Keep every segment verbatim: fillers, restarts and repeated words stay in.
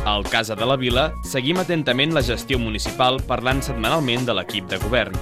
Al Casa de la Vila seguim atentament la gestió municipal parlant setmanalment de l'equip de govern.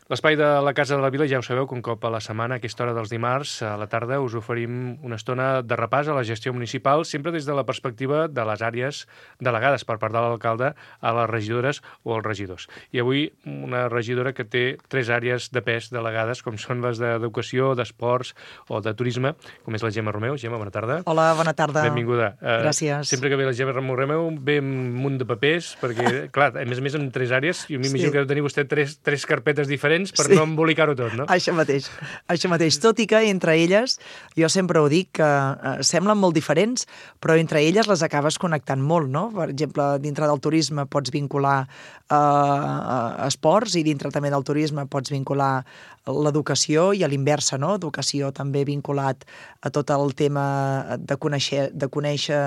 L'espai de la Casa de la Vila, ja ho sabeu, que un cop a la setmana, a aquesta hora dels dimarts, a la tarda, us oferim una estona de repàs a la gestió municipal, sempre des de la perspectiva de les àrees delegades per part de l'alcalde a les regidores o als regidors. I avui una regidora que té tres àrees de pes delegades, com són les d'educació, d'esports o de turisme, com és la Gemma Romeu. Gemma, bona tarda. Hola, bona tarda. Benvinguda. Gràcies. Sempre que ve la Gemma Romeu ve un munt de papers, perquè, clar, a més a més en tres àrees, jo m'imagino sí. que deu tenir vostè tres, tres carpetes diferents per sí. no embolicar-ho tot, no? Això mateix, això mateix. Tot i que entre elles, jo sempre ho dic, que eh, semblen molt diferents, però entre elles les acabes connectant molt, no? Per exemple, dintre del turisme pots vincular eh, a esports i dintre també del turisme pots vincular l'educació i a l'inversa, no? Educació també vinculat a tot el tema de conèixer, de conèixer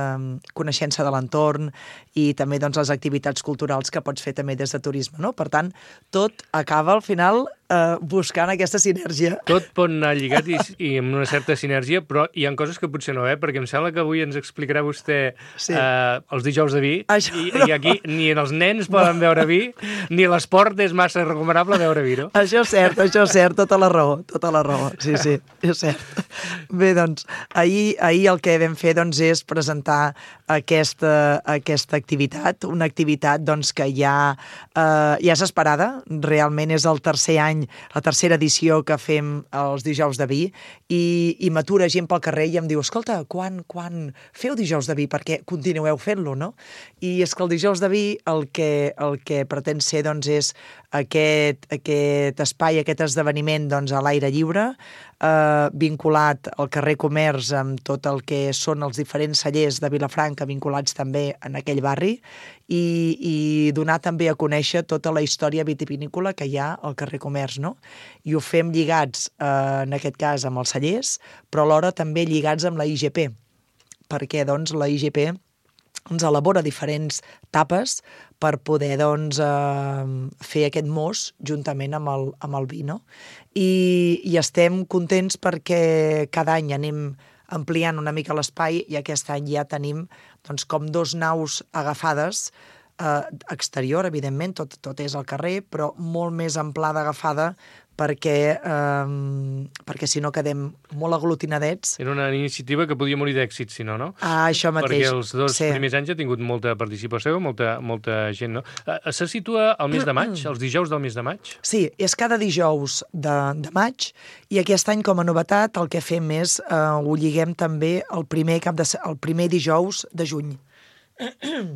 coneixença de l'entorn i també doncs, les activitats culturals que pots fer també des de turisme, no? Per tant, tot acaba al final eh, buscant aquesta sinergia. Tot pot anar lligat i, i amb una certa sinergia, però hi ha coses que potser no, eh? Perquè em sembla que avui ens explicarà vostè sí. eh, els dijous de vi, Això, i, no. i aquí ni els nens poden beure vi, ni l'esport és massa recomanable beure vi, no? Això és cert, això és cert, tota la raó, tota la raó, sí, sí, és cert. Bé, doncs, ahir, ahir el que vam fer doncs, és presentar aquesta, aquesta activitat, una activitat doncs, que ja, eh, ja és esperada, realment és el tercer any, la tercera edició que fem els dijous de vi, i, i m'atura gent pel carrer i em diu, escolta, quan, quan feu dijous de vi? Perquè continueu fent-lo, no? I és que el dijous de vi el que, el que pretén ser doncs, és aquest, aquest espai, aquest esdeveniment doncs, a l'aire lliure, eh, vinculat al carrer Comerç amb tot el que són els diferents cellers de Vilafranca vinculats també en aquell barri i, i donar també a conèixer tota la història vitivinícola que hi ha al carrer Comerç, no? I ho fem lligats, eh, en aquest cas, amb els cellers, però alhora també lligats amb la I G P, perquè doncs, la I G P ens elabora diferents tapes per poder doncs, eh, fer aquest mos juntament amb el, amb el vi, no? I, I estem contents perquè cada any anem ampliant una mica l'espai i aquest any ja tenim doncs, com dos naus agafades, eh, exterior, evidentment, tot, tot és al carrer, però molt més amplada agafada perquè, eh, perquè si no quedem molt aglutinadets. Era una iniciativa que podia morir d'èxit, si no, no? Ah, això mateix. Perquè els dos sí. primers anys ha tingut molta participació, molta, molta gent, no? Se situa al mes de maig, els dijous del mes de maig? Sí, és cada dijous de, de maig, i aquest any, com a novetat, el que fem és, eh, ho lliguem també el primer, cap de, el primer dijous de juny.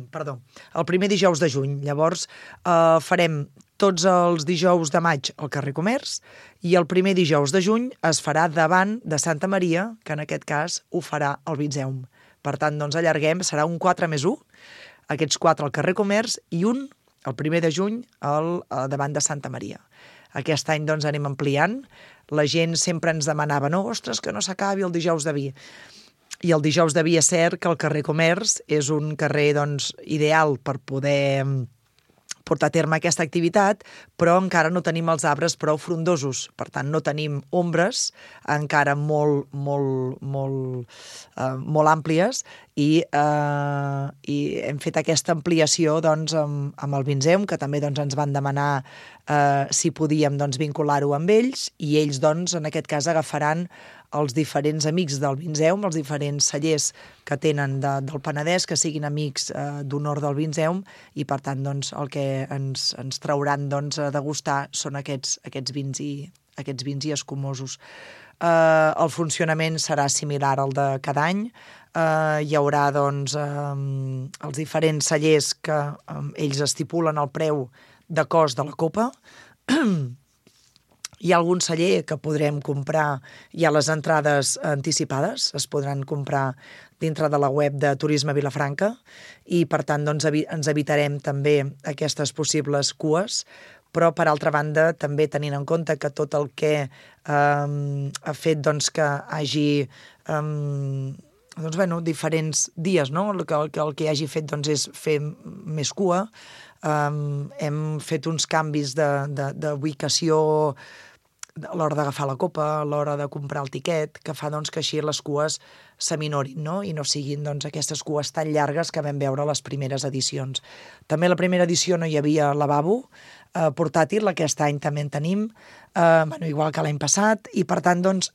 Perdó, el primer dijous de juny. Llavors, eh, farem tots els dijous de maig al carrer Comerç i el primer dijous de juny es farà davant de Santa Maria, que en aquest cas ho farà el Vinzeum. Per tant, doncs allarguem, serà un quatre més u, aquests quatre al carrer Comerç i un, el primer de juny, al, davant de Santa Maria. Aquest any doncs anem ampliant. La gent sempre ens demanava, no, ostres, que no s'acabi el dijous de vi. I el dijous de vi és cert que el carrer Comerç és un carrer doncs, ideal per poder portar a terme aquesta activitat, però encara no tenim els arbres prou frondosos. Per tant, no tenim ombres encara molt, molt, molt, eh, molt àmplies i, eh, i hem fet aquesta ampliació doncs, amb, amb el Vinzeum, que també doncs, ens van demanar eh, si podíem doncs, vincular-ho amb ells, i ells, doncs, en aquest cas, agafaran els diferents amics del Vinzeum, els diferents cellers que tenen de, del Penedès, que siguin amics eh, d'honor del Vinzeum, i per tant doncs, el que ens, ens trauran doncs, a degustar són aquests, aquests, vins, i, aquests vins i escumosos. Eh, el funcionament serà similar al de cada any. Eh, hi haurà doncs, eh, els diferents cellers que eh, ells estipulen el preu de cost de la copa. Hi ha algun celler que podrem comprar, hi ha les entrades anticipades, es podran comprar dintre de la web de Turisme Vilafranca i, per tant, doncs, ens evitarem també aquestes possibles cues, però, per altra banda, també tenint en compte que tot el que eh, ha fet doncs, que hagi eh, doncs, bueno, diferents dies, no? El que, el que, el que hagi fet doncs, és fer més cua. Um, hem fet uns canvis d'ubicació a l'hora d'agafar la copa, a l'hora de comprar el tiquet, que fa doncs, que així les cues s'aminorin, no? I no siguin doncs, aquestes cues tan llargues que vam veure a les primeres edicions. També a la primera edició no hi havia lavabo eh, portàtil, aquest any també en tenim, eh, bueno, igual que l'any passat, i per tant, doncs,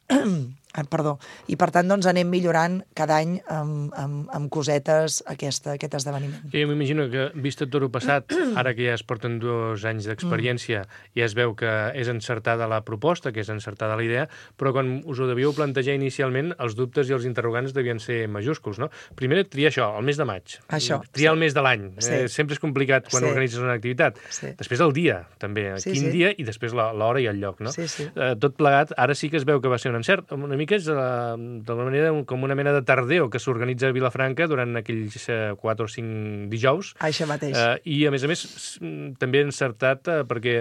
perdó, i per tant doncs, anem millorant cada any amb, amb, amb cosetes aquesta, aquest esdeveniment. Jo m'imagino que, vist tot el passat, ara que ja es porten dos anys d'experiència, mm. ja es veu que és encertada la proposta, que és encertada la idea, però quan us ho devíeu plantejar inicialment, els dubtes i els interrogants devien ser majúsculs, no? Primer, triar això, el mes de maig. Això, triar sí. el mes de l'any. Sí. Eh, sempre és complicat quan sí. organitzes una activitat. Sí. Després el dia, també. Sí, Quin sí. dia i després l'hora i el lloc, no? Sí, sí. Eh, tot plegat, ara sí que es veu que va ser un encert. Una mica és uh, d'alguna manera com una mena de tardeo que s'organitza a Vilafranca durant aquells uh, quatre o cinc dijous. Això mateix. Uh, I, a més a més, també encertat uh, perquè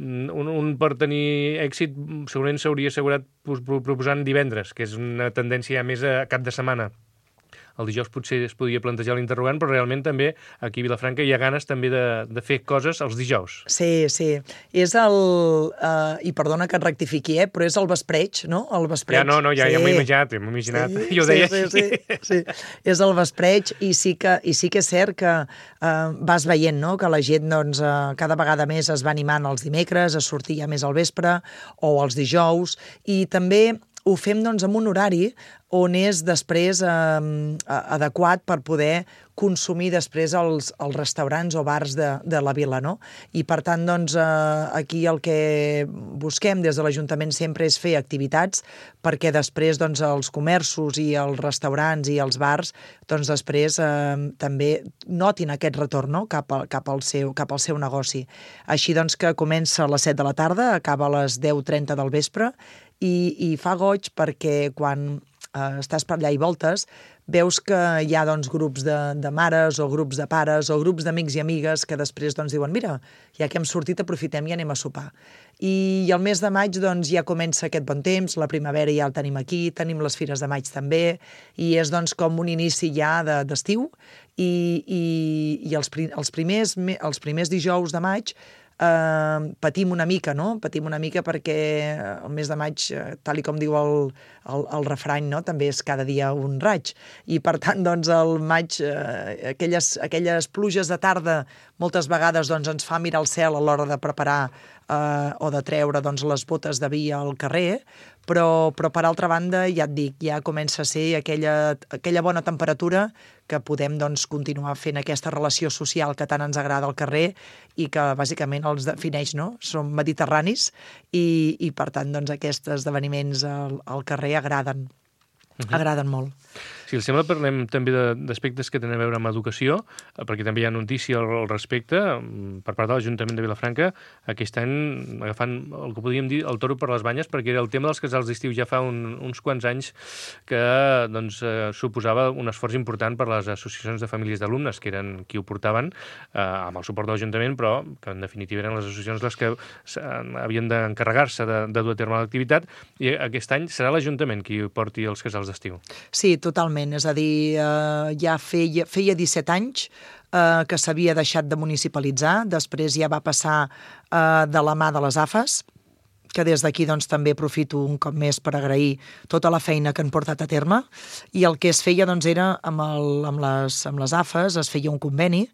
un, un per tenir èxit segurament s'hauria assegurat proposant divendres, que és una tendència més a cap de setmana. El dijous potser es podia plantejar l'interrogant, però realment també aquí a Vilafranca hi ha ganes també de, de fer coses els dijous. Sí, sí. És el... Uh, I perdona que et rectifiqui, eh? Però és el vespreig, no? El vespreig. Ja, no, no, ja, sí. ja m'ho he imaginat, m'ho he imaginat. Sí, Jo ho deia sí, sí, sí, sí. És el vespreig i sí que, i sí que és cert que uh, vas veient, no?, que la gent doncs, uh, cada vegada més es va animant els dimecres, a sortir ja més al vespre o els dijous, i també ho fem doncs, amb un horari on és després eh, adequat per poder consumir després els, els restaurants o bars de, de la vila, no? I per tant, doncs, eh, aquí el que busquem des de l'Ajuntament sempre és fer activitats perquè després doncs, els comerços i els restaurants i els bars doncs, després eh, també notin aquest retorn, no?, cap, a, cap, al seu, cap al seu negoci. Així doncs que comença a les set de la tarda, acaba a les deu trenta del vespre i, i fa goig perquè quan eh, estàs per allà i voltes, veus que hi ha doncs, grups de, de mares o grups de pares o grups d'amics i amigues que després doncs, diuen mira, ja que hem sortit aprofitem i anem a sopar. I al mes de maig doncs, ja comença aquest bon temps, la primavera ja el tenim aquí, tenim les fires de maig també, i és doncs, com un inici ja de, d'estiu i, i, i els, els, primers, els primers dijous de maig Uh, patim una mica, no? Patim una mica perquè el mes de maig, tal i com diu el, el, el refrany, no?, també és cada dia un raig. I per tant, doncs, el maig, uh, aquelles, aquelles pluges de tarda, moltes vegades doncs, ens fa mirar el cel a l'hora de preparar uh, o de treure doncs, les botes de vi al carrer, però, però per altra banda, ja et dic, ja comença a ser aquella, aquella bona temperatura que podem doncs, continuar fent aquesta relació social que tant ens agrada al carrer i que bàsicament els defineix, no? Som mediterranis i, i per tant doncs, aquests esdeveniments al, al carrer agraden, uh-huh. agraden molt. Si els sembla, parlem també d'aspectes que tenen a veure amb educació, perquè també hi ha notícia al respecte per part de l'Ajuntament de Vilafranca, aquest any agafant el que podríem dir el toro per les banyes, perquè era el tema dels casals d'estiu ja fa un, uns quants anys que doncs, eh, suposava un esforç important per les associacions de famílies d'alumnes, que eren qui ho portaven, eh, amb el suport de l'Ajuntament, però que en definitiva eren les associacions les que havien d'encarregar-se de, de dur a terme l'activitat, i aquest any serà l'Ajuntament qui porti els casals d'estiu. Sí, totalment. És a dir, eh, ja feia, feia disset anys eh, que s'havia deixat de municipalitzar, després ja va passar eh, de la mà de les A F As, que des d'aquí doncs, també aprofito un cop més per agrair tota la feina que han portat a terme, i el que es feia doncs, era amb, el, amb, les, amb les A F As es feia un conveni,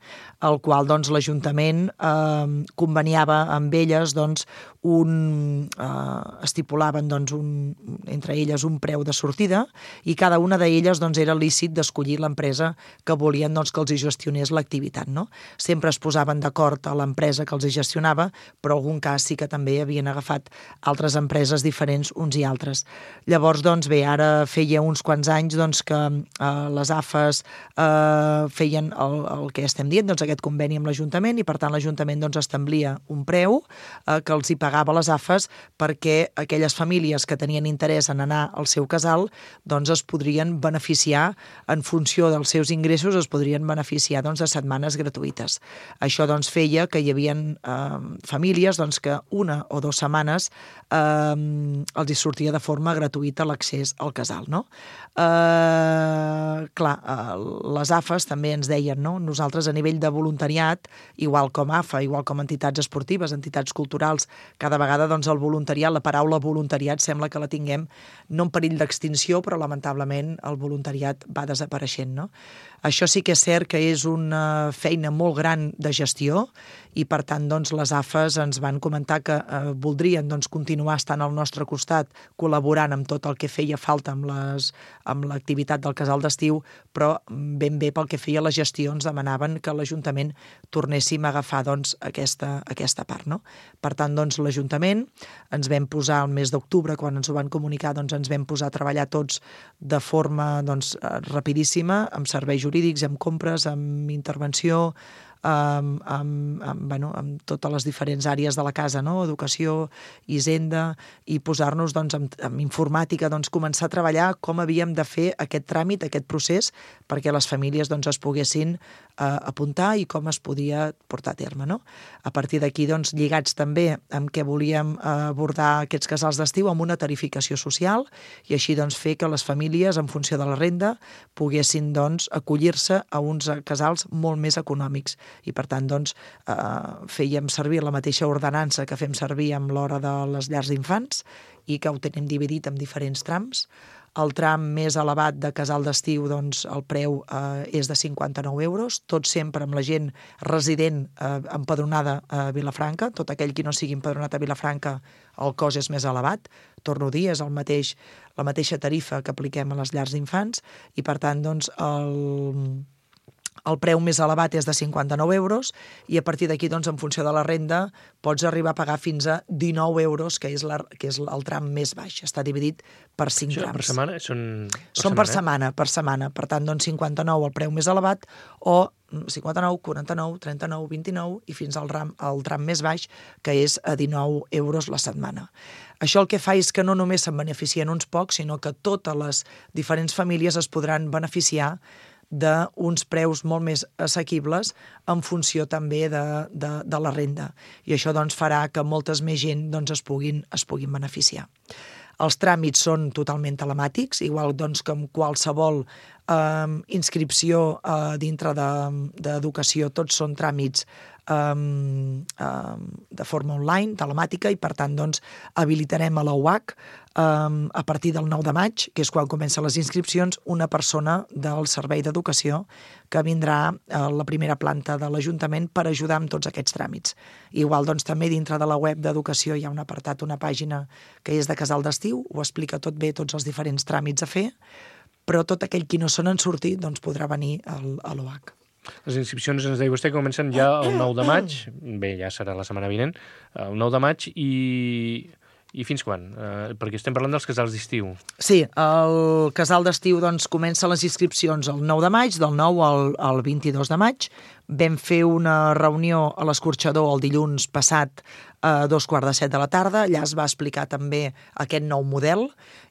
el qual doncs, l'Ajuntament eh, conveniava amb elles doncs, un, eh, estipulaven doncs, un, entre elles un preu de sortida i cada una d'elles doncs, era lícit d'escollir l'empresa que volien doncs, que els hi gestionés l'activitat. No? Sempre es posaven d'acord a l'empresa que els hi gestionava, però en algun cas sí que també havien agafat altres empreses diferents uns i altres. Llavors, doncs, bé, ara feia uns quants anys doncs, que eh, les A F As eh, feien el, el que estem dient, doncs, aquest conveni amb l'Ajuntament, i per tant l'Ajuntament doncs, establia un preu eh, que els hi pagava les A F As perquè aquelles famílies que tenien interès en anar al seu casal doncs, es podrien beneficiar en funció dels seus ingressos, es podrien beneficiar doncs, de setmanes gratuïtes. Això doncs, feia que hi havia eh, famílies doncs, que una o dues setmanes eh, els hi sortia de forma gratuïta l'accés al casal, no? Eh, clar, eh, les A F Es també ens deien, no? Nosaltres a nivell de voluntariat, igual com A F A, igual com entitats esportives, entitats culturals, cada vegada doncs, el voluntariat, la paraula voluntariat sembla que la tinguem no en perill d'extinció, però lamentablement el voluntariat va desapareixent, no? Això sí que és cert que és una feina molt gran de gestió i, per tant, doncs, les A F Es ens van comentar que eh, voldrien doncs, continuar estant al nostre costat, col·laborant amb tot el que feia falta amb les, amb l'activitat del casal d'estiu, però ben bé pel que feia la gestió ens demanaven que l'Ajuntament tornéssim a agafar doncs, aquesta, aquesta part, no? Per tant, doncs, l'Ajuntament ens vam posar el mes d'octubre, quan ens ho van comunicar, doncs, ens vam posar a treballar tots de forma doncs, rapidíssima, amb serveis jurídics, amb compres, amb intervenció, amb, amb, amb, bueno, amb totes les diferents àrees de la casa, no? Educació, hisenda, i posar-nos doncs, amb, amb informàtica, doncs, començar a treballar com havíem de fer aquest tràmit, aquest procés, perquè les famílies doncs, es poguessin eh, apuntar i com es podia portar a terme. No? A partir d'aquí, doncs, lligats també amb què volíem eh, abordar aquests casals d'estiu amb una tarificació social i així doncs, fer que les famílies, en funció de la renda, poguessin doncs, acollir-se a uns casals molt més econòmics. I, per tant, doncs, eh, fèiem servir la mateixa ordenança que fem servir amb l'hora de les llars d'infants i que ho tenim dividit en diferents trams. El tram més elevat de casal d'estiu, doncs, el preu eh, és de cinquanta-nou euros, tot sempre amb la gent resident eh, empadronada a Vilafranca. Tot aquell qui no sigui empadronat a Vilafranca, el cost és més elevat. Torno a dir, és el mateix, la mateixa tarifa que apliquem a les llars d'infants i, per tant, doncs, el... El preu més elevat és de cinquanta-nou euros i a partir d'aquí, doncs, en funció de la renda, pots arribar a pagar fins a dinou euros, que és, la, que és el tram més baix. Està dividit per cinc Això, trams. Per setmana? Són per Són setmana, per setmana, per setmana. Per tant, doncs, cinquanta-nou el preu més elevat o cinquanta-nou, quaranta-nou, trenta-nou, vint-i-nou i fins al tram, al tram més baix, que és a dinou euros la setmana. Això el que fa és que no només se'n beneficien uns pocs, sinó que totes les diferents famílies es podran beneficiar d'uns preus molt més assequibles en funció també de, de, de la renda. I això doncs, farà que moltes més gent doncs, es, puguin, es puguin beneficiar. Els tràmits són totalment telemàtics, igual doncs, que amb qualsevol eh, inscripció eh, dintre d'educació, de, tots són tràmits eh, eh, de forma online, telemàtica, i per tant doncs, habilitarem a la U H C eh, a partir del nou de maig, que és quan comencen les inscripcions, una persona del Servei d'Educació que vindrà a la primera planta de l'Ajuntament per ajudar amb tots aquests tràmits. Igual doncs, també dintre de la web d'Educació hi ha un apartat, una pàgina que és de casal d'estiu, ho explica tot bé, tots els diferents tràmits a fer, però tot aquell qui no se n'han sortit doncs, podrà venir al, a l'O H. Les inscripcions, ens deia vostè, comencen ja el nou de maig, bé, ja serà la setmana vinent, el nou de maig, i, i fins quan? Eh, perquè estem parlant dels casals d'estiu. Sí, el casal d'estiu doncs, comença les inscripcions el nou de maig, del nou al, al vint-i-dos de maig. Vam fer una reunió a l'Escorxador el dilluns passat a dos quarts de set de la tarda, allà es va explicar també aquest nou model,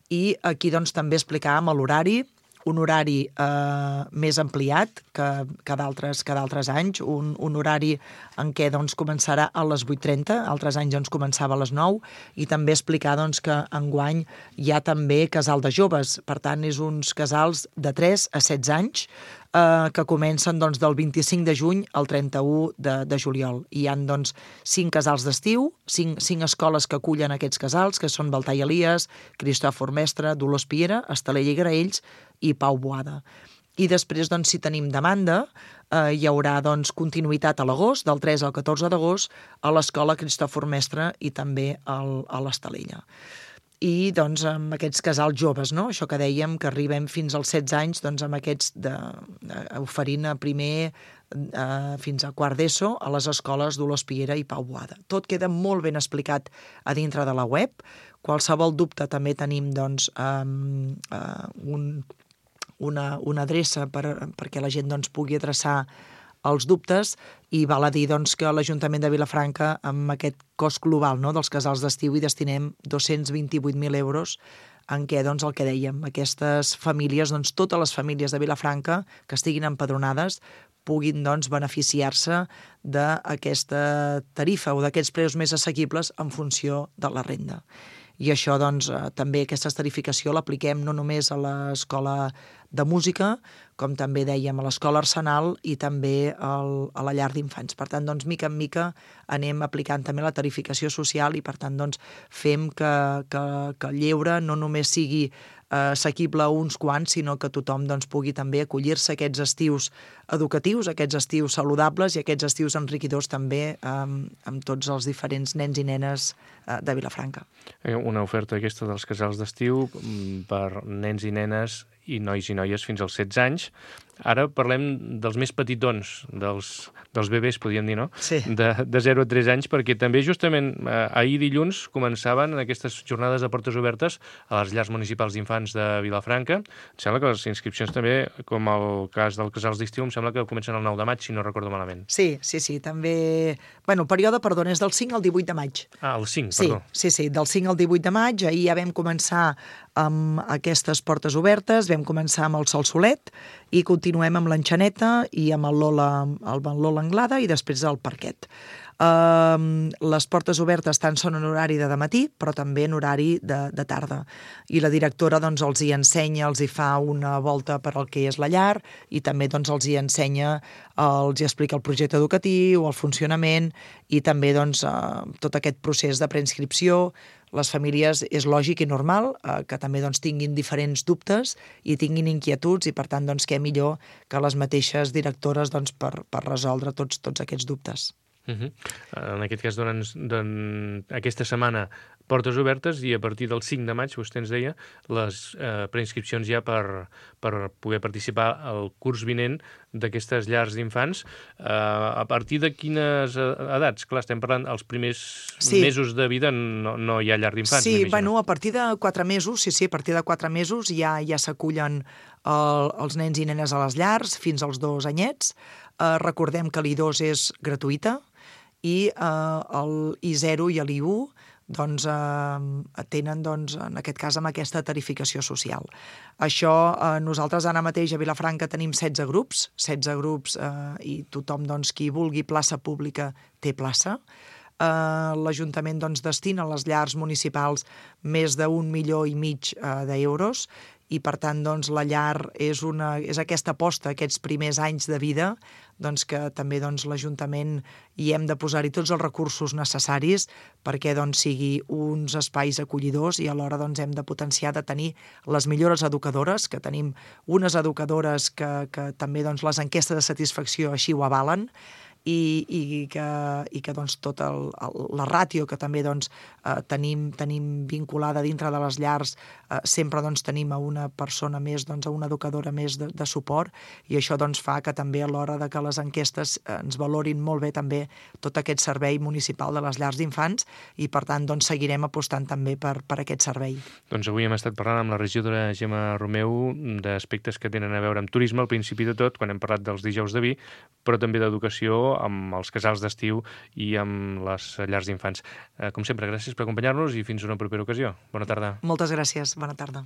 i aquí doncs, també explicàvem l'horari, un horari eh, més ampliat que, que d'altres anys, un, un horari en què doncs, començarà a les vuit trenta, altres anys doncs, començava a les nou, i també explicar doncs, que enguany hi ha també casal de joves, per tant, és uns casals de tres a setze anys, eh, que comencen doncs, del vint-i-cinc de juny al trenta-u de, de juliol. Hi ha doncs, cinc casals d'estiu, cinc, cinc escoles que acullen aquests casals, que són Baltar i Elies, Cristòfor Mestre, Dolors Piera, Estalella i Graells i Pau Boada. I després, doncs, si tenim demanda, eh, hi haurà doncs, continuïtat a l'agost, del tres al catorze d'agost, a l'escola Cristòfor Mestre i també al, a l'Estalella. I doncs, amb aquests casals joves, no? Això que dèiem, que arribem fins als setze anys, doncs, amb aquests de, de, oferint a primer eh, fins a quart d'ESO a les escoles Dolors Piera i Pau Boada. Tot queda molt ben explicat a dintre de la web. Qualsevol dubte també tenim doncs, um, uh, un Una, una adreça per, perquè la gent doncs, pugui adreçar els dubtes, i val a dir doncs, que l'Ajuntament de Vilafranca, amb aquest cost global, no, dels casals d'estiu, hi destinem dos-cents vint-i-vuit mil euros en què, doncs, el que dèiem, aquestes famílies, doncs, totes les famílies de Vilafranca que estiguin empadronades puguin, doncs, beneficiar-se d'aquesta tarifa o d'aquests preus més assequibles en funció de la renda. I això, doncs, eh, també aquesta tarificació l'apliquem no només a l'escola de música, com també dèiem a l'escola Arsenal i també al, a la llar d'infants. Per tant, doncs, mica en mica anem aplicant també la tarificació social i, per tant, doncs, fem que, que, que el lleure no només sigui eh, assequible a uns quants, sinó que tothom, doncs, pugui també acollir-se a aquests estius educatius, aquests estius saludables i aquests estius enriquidors també eh, amb tots els diferents nens i nenes eh, de Vilafranca. Una oferta aquesta dels casals d'estiu per nens i nenes i nois i noies fins als setze anys. Ara parlem dels més petitons, dels, dels bebès, podríem dir, no? Sí. De, de zero a tres anys, perquè també justament eh, ahir dilluns començaven aquestes jornades de portes obertes a les llars municipals d'infants de Vilafranca. Em sembla que les inscripcions també, com el cas dels casals d'estiu, em sembla que comencen el nou de maig, si no recordo malament. Sí, sí, sí, també... Bueno, el període, perdona, és del cinc al divuit de maig. Ah, el cinc, sí, perdó. Sí, sí, del cinc al divuit de maig. Ahir ja vam començar amb aquestes portes obertes, vam començar amb el Sol Solet i continuem amb l'Enxaneta i amb el Lola, el Lola Anglada i després el Parquet. Uh, les portes obertes tant són en horari de dematí, però també en horari de, de tarda. I la directora, doncs, els hi ensenya, els hi fa una volta per al que és la llar i també, doncs, els hi ensenya, els hi explica el projecte educatiu, el funcionament i també, doncs, uh, tot aquest procés de preinscripció. Les famílies és lògic i normal eh, que també, doncs, tinguin diferents dubtes i tinguin inquietuds i, per tant, doncs, què millor que les mateixes directores, doncs, per, per resoldre tots, tots aquests dubtes. Uh-huh. En aquest cas, doncs, doncs, aquesta setmana portes obertes i a partir del cinc de maig, vostè ens deia, les eh, preinscripcions ja per, per poder participar al curs vinent d'aquestes llars d'infants. Eh, a partir de quines edats? Clar, estem parlant els primers sí. mesos de vida no, no hi ha llar d'infants. Sí, bueno, a partir de quatre mesos, sí, sí, a partir de quatre mesos ja ja s'acullen el, els nens i nenes a les llars fins als dos anyets. Eh, recordem que l'I dos és gratuïta i eh, el I zero i l'I u doncs, eh, tenen, doncs, en aquest cas, amb aquesta tarificació social. Això, eh, nosaltres ara mateix a Vilafranca tenim setze grups, setze grups eh, i tothom, doncs, qui vulgui plaça pública té plaça. Eh, L'Ajuntament, doncs, destina a les llars municipals més d'un milió i mig eh, d'euros i, per tant, doncs, la llar és, una, és aquesta aposta, aquests primers anys de vida, doncs, que també, doncs, l'Ajuntament hi hem de posar-hi tots els recursos necessaris perquè, doncs, sigui uns espais acollidors i alhora, doncs, hem de potenciar de tenir les millores educadores, que tenim unes educadores que, que també, doncs, les enquestes de satisfacció així ho avalen, i, i que, i que doncs, tota el, el, la ràtio que també, doncs, eh, tenim, tenim vinculada dintre de les llars, eh, sempre, doncs, tenim a una persona més, doncs, a una educadora més de, de suport, i això, doncs, fa que també a l'hora de que les enquestes eh, ens valorin molt bé també tot aquest servei municipal de les llars d'infants i, per tant, doncs, seguirem apostant també per, per aquest servei. Doncs avui hem estat parlant amb la regidora Gemma Romeu d'aspectes que tenen a veure amb turisme al principi de tot, quan hem parlat dels dijous de vi, però també d'educació amb els casals d'estiu i amb les llars d'infants. Eh, com sempre, gràcies per acompanyar-nos i fins una propera ocasió. Bona tarda. Moltes gràcies. Bona tarda.